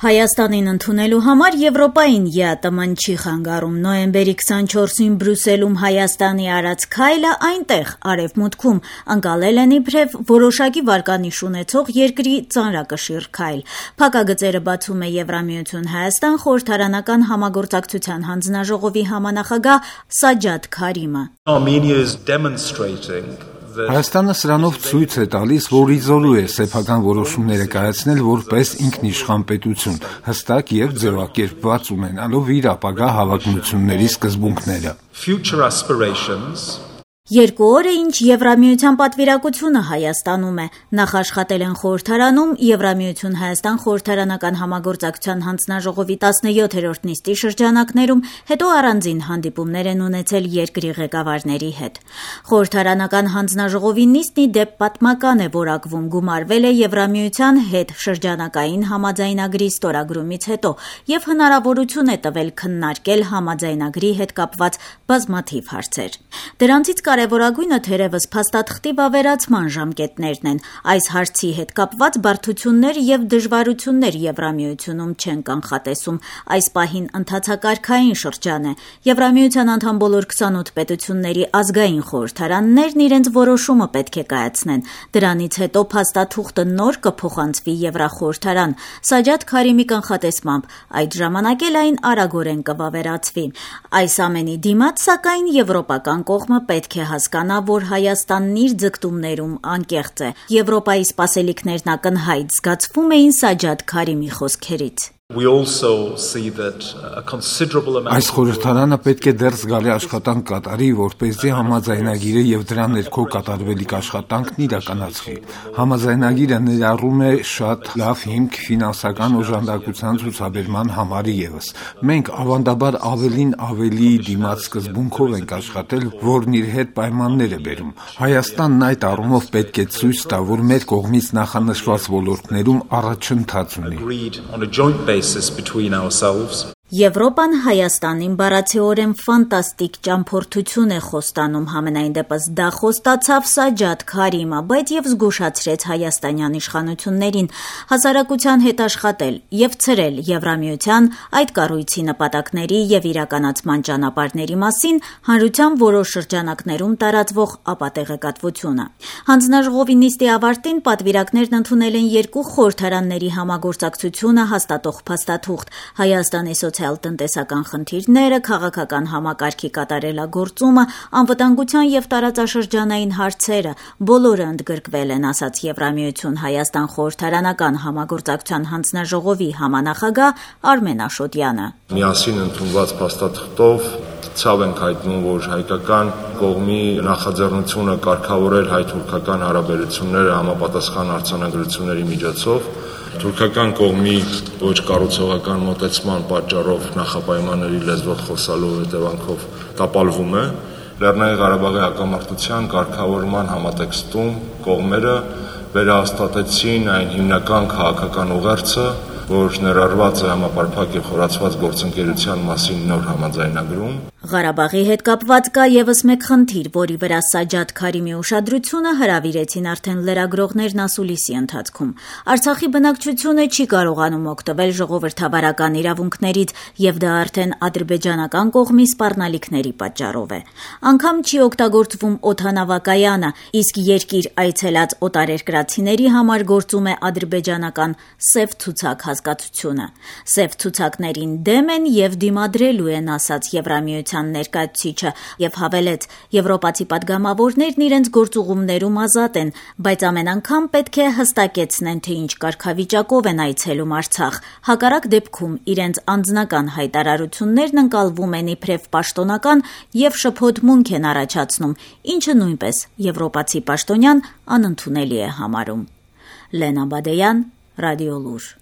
Հայաստանին ընդունելու համար Եվրոպային ԵԱՏՄ-ն չի խանգարում։ Նոյեմբերի 24-ին Բրյուսելում Հայաստանի արած քայլը այնտեղ, արևմուտքում, ընկալել են իբրև որոշակի վարկանիշ ունեցող երկրի ծանրակշիռ քայլ։ Փակագծերը բացում է Եվրամիություն Հայաստան խորհրդարանական համագործակցության հանձնաժողովի համանախագահ Սաջադ Քարիմը։ Հայաստանը սրանով ցույց է տալիս, որ իզորու է սեփական որոշումները կայացնել որպես ինքնիշխան պետություն, հստակ եւ ձևակերպված ունենալով իր ապագա հավակնությունների սկզբունքները։ Երկու օր է, ինչ Եվրամիության պատվիրակությունը Հայաստանում է։ Նախ աշխատել են խորհրդարանում Եվրամիություն Հայաստան խորհրդարանական համագործակցության հանձնաժողովի 17-րդ նիստի շրջանակներում, հետո առանձին հանդիպումներ են ունեցել երկրի ղեկավարների հետ։ Խորհրդարանական հանձնաժողովի նիստն ի դեպ պատմական է որակվում, գումարվել է Եվրամիության հետ շրջանակային համաձայնագրի ստորագրումից հետո եւ հնարավորություն է տվել քննարկել համաձայնագրի հետ կապված բազմաթիվ հարցեր։ Դրանցից կարևորագույնը թերևս փաստաթղթի վավերացման ժամկետներն են։ Այս հարցի հետ կապված բարդություններ եւ դժվարություններ Եվրամիությունում չեն կանխատեսում։ Այս պահին ընթացակարգային շրջան է։ Եվրամիության անդամ բոլոր 28 պետությունների ազգային խորհրդարաններն իրենց որոշումը պետք է կայացնեն։ Դրանից հետո փաստաթուղթը նոր կփոխանցվի Եվրախորհրդարան։ Սաջադ Քարիմի կանխատեսմամբ այդ ժամանակ էլ այն արագորեն կվավերացվի։ Այս ամենի դիմաց, սակայն, եվրոպական կողմը պետք է հասկանա, որ Հայաստանն իր ձգտումներում անկեղծ է։ Եվրոպայի սպասելիքներն ակնհայտ զգացվում էին Սաջադ Քարիմի խոսքերից։ Այս խորհրդարանը պետք է դեռ զգալի աշխատանք կատարի, որպեսզի համաձայնագիրը եւ դրա ներքո կատարվելիք աշխատանքն իրականացվի։ Համաձայնագիրը ներառում է շատ լավ հիմք ֆինանսական օժանդակության ցուցաբերման համար եւս։ Մենք ավանդաբար ավելին ավելի դիմաց սկզբունքով ենք աշխատել, որն իր հետ պայմաններ է բերում։ Հայաստանն այդ առումով պետք է ցույց տա, որ մեր կողմից նախանշված ոլորտներում առաջընթաց ունի։ Եվրոպան Հայաստանին բառացիորեն ֆանտաստիկ ճամփորդություն է խոստանում, համենայն դեպս դա խոստացավ Սաջադ Քարիմը, բայց եւ զգուշացրեց հայաստանյան իշխանություններին հասարակության հետ աշխատել եւ ցրել Եվրամիության այդ կառույցի նպատակների եւ իրականացման ճանապարհների մասին հանրության որոշ շրջանակներում տարածվող ապատեղեկատվությունը։ Հանձնաժողովի նիստի ավարտին պատվիրակներն ընդունել են երկու խորհրդարանների համագործակցությունը հաստատող փաստաթուղթ Հայաստանի սոցիալ-տնտեսական խնդիրները, քաղաքական համակարգի կատարելագործումը, անվտանգության եւ տարածաշրջանային հարցերը բոլորը ընդգրկվել են, ասաց Եվրամիություն Հայաստան խորհրդարանական համագործակցության հանձնաժողովի համանախագահ Արմեն Աշոտյանը։ Միասին ընդունված փաստաթղթով ցավ ենք հայտնում, որ հայկական կողմի նախաձեռնությունը կարգավորել հայ-թուրքական հարաբերությունները համապատասխան արձանագրությունների միջոցով թուրքական կողմի ոչ կառուցողական մոտեցման պատճառով նախապայմանների լեզվով խոսալու հետևանքով տապալվում է։ Լեռնային Ղարաբաղի հակամարտության կարգավորման համատեքստում կողմերը վերահաստատեցին այն հիմնական քաղաքական ուղերձը, որ ներառված է համապարփակ եւ խորացված գործընկերության մասին նոր համաձայնագրում։ Ղարաբաղի հետ կապված կա եւս մեկ խնդիր, որի վրա Սաջադ Քարիմի ուշադրությունը հրավիրեցին արդեն լրագրողներն ասուլիսի ընթացքում։ Արցախի բնակչությունը չի կարողանում օգտվել ժողովրդավարական իրավունքներից եւ դա արդեն ադրբեջանական կողմի սպառնալիքների պատճառով է։ Անգամ չի օգտագործվում օդանավակայանը, իսկ երկիր այցելած օտարերկրացիների համար գործում է ադրբեջանական սև ցուցակ հասկացությունը։ Սև ցուցակներին դեմ են եւ դիմադրելու են, ասաց Եվրամիության ներկայացուցիչը եւ հավելեց. Եվրոպացի падգամավորներն իրենց գործուղումներում ազատ են, բայց ամեն անգամ պետք է հստակեցնեն, թե ինչ կարգավիճակով են այցելում Արցախ։ Հակառակ դեպքում իրենց անձնական հայտարարություններն ընկալվում են իբրև պաշտոնական եւ շփոթմունք են առաջացնում, ինչը նույնպես եվրոպացի պաշտոնյան անընդունելի է համարում։ Լենա Բադեյան, Ռադիո Լուր։